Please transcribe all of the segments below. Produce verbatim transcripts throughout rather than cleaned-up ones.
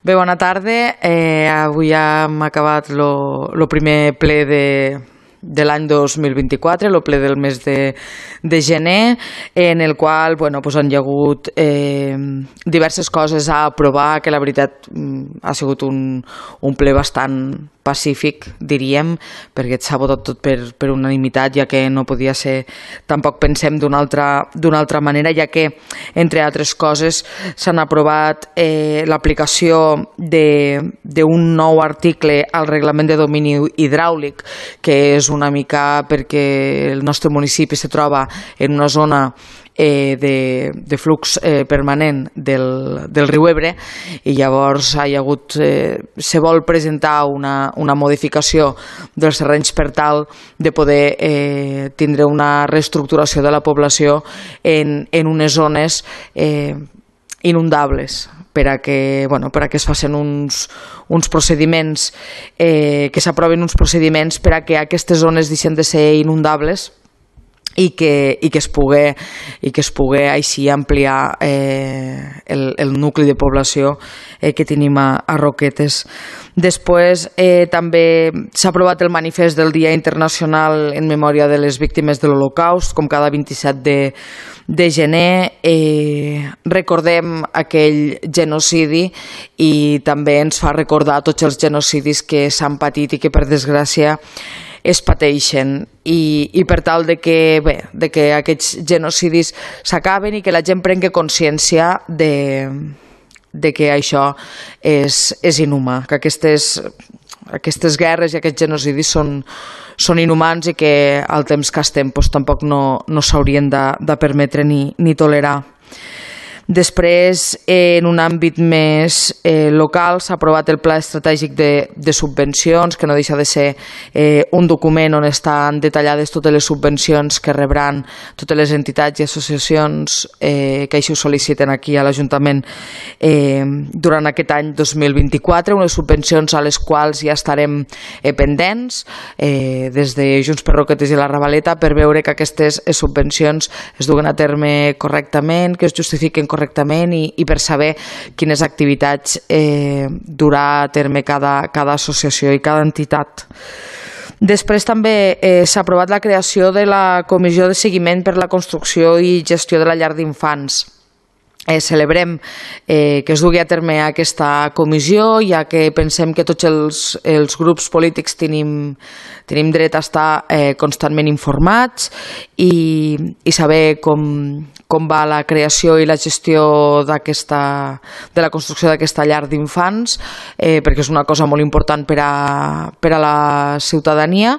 Bé, bona tarda. Eh, avui ja hem acabat el primer ple de, de l'any dos mil vint-i-quatre, el ple del mes de, de gener, en el qual bueno, pues han hi hagut eh, diverses coses a aprovar, que la veritat ha sigut un, un ple bastant pacífic, diríem, perquè s'ha votat tot per, per unanimitat, ja que no podia ser, tampoc pensem d'una altra, d'una altra manera, ja que, entre altres coses, s'han aprovat eh, l'aplicació d'un nou article al reglament de domini hidràulic, que és una mica perquè el nostre municipi se troba en una zona Eh, de, de flux eh, permanent del, del riu Ebre, i llavors hi ha hagut, eh, se vol presentar una, una modificació dels terrenys per tal de poder eh, tindre una reestructuració de la població en, en unes zones eh, inundables, per a que, bueno, per a que es facin uns, uns procediments, eh, que s'aprovin uns procediments per a que aquestes zones deixen de ser inundables i que, i que es pugui, i que es pugui així ampliar eh, el, el nucli de població eh, que tenim a, a Roquetes. Després eh, també s'ha aprovat el manifest del Dia Internacional en memòria de les víctimes de l'Holocaust, com cada vint-i-set de, de gener. Eh, recordem aquell genocidi i també ens fa recordar tots els genocidis que s'han patit i que per desgràcia es pateixen, i, i per tal de que, bé, de que aquests genocidis s'acaben i que la gent prengui consciència de, de que això és, és inhumà, que aquestes, aquestes guerres i aquests genocidis són, són inhumans i que al temps que estem doncs, tampoc no, no s'haurien de, de permetre ni, ni tolerar. Després, en un àmbit més eh, local, s'ha aprovat el Pla Estratègic de, de Subvencions, que no deixa de ser eh, un document on estan detallades totes les subvencions que rebran totes les entitats i associacions eh, que així ho sol·liciten aquí a l'Ajuntament eh, durant aquest any dos mil vint-i-quatre, unes subvencions a les quals ja estarem eh, pendents eh, des de Junts per Roquetes i la Ravaleta, per veure que aquestes subvencions es duguen a terme correctament, que es justifiquen correctament i, i per saber quines activitats eh, durà a terme cada, cada associació i cada entitat. Després també eh, s'ha aprovat la creació de la Comissió de Seguiment per la Construcció i Gestió de la Llar d'Infants. Eh, celebrem eh, que es dugui a terme aquesta comissió, ja que pensem que tots els, els grups polítics tenim, tenim dret a estar eh, constantment informats i, i saber com, com va la creació i la gestió d'aquesta, de la construcció d'aquesta llar d'infants, eh, perquè és una cosa molt important per a, per a la ciutadania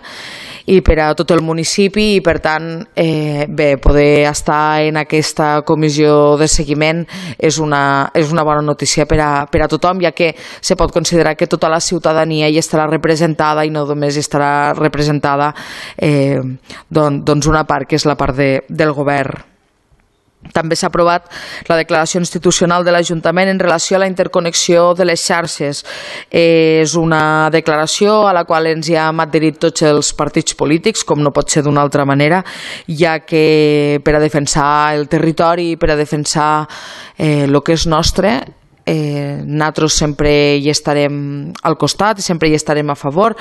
i per a tot el municipi, i per tant eh, bé, poder estar en aquesta comissió de seguiment és una, és una bona notícia per a, per a tothom, ja que se pot considerar que tota la ciutadania hi estarà representada i no només hi estarà representada eh, don, doncs una part que és la part de, del govern. També s'ha aprovat la declaració institucional de l'Ajuntament en relació a la interconnexió de les xarxes. Eh, és una declaració a la qual ens hi hem adherit tots els partits polítics, com no pot ser d'una altra manera, ja que per a defensar el territori i per a defensar el eh, que és nostre, Eh, nosaltres sempre hi estarem al costat i sempre hi estarem a favor,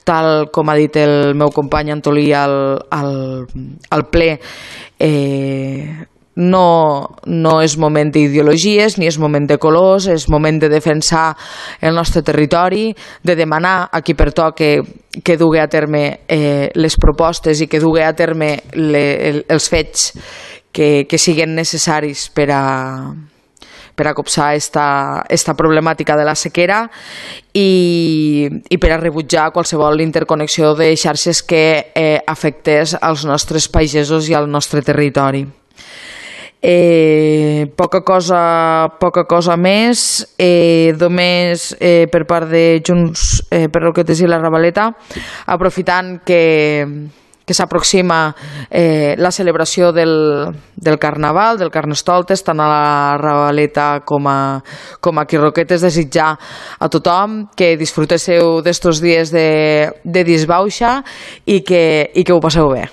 tal com ha dit el meu company Antolí al, al, al ple. Eh, no, no és moment d'ideologies ni és moment de colors, és moment de defensar el nostre territori, de demanar a qui pertoque que dugui a terme eh, les propostes i que dugui a terme le, els fets que, que siguin necessaris per a per a copsar esta, esta problemàtica de la sequera i, i per a rebutjar qualsevol interconnexió de xarxes que eh, afectés als nostres pagesos i al nostre territori. Eh, poca cosa, poca cosa més, eh, només eh, per part de Junts eh, per Roquetes i la Ravaleta, aprofitant que que s'aproxima eh, la celebració del, del Carnaval, del Carnestoltes, tant a la Ravaleta com a, com aquí a Roquetes, desitjar a tothom que disfrutéssiu d'estos dies de, de disbauxa i que, i que ho passeu bé.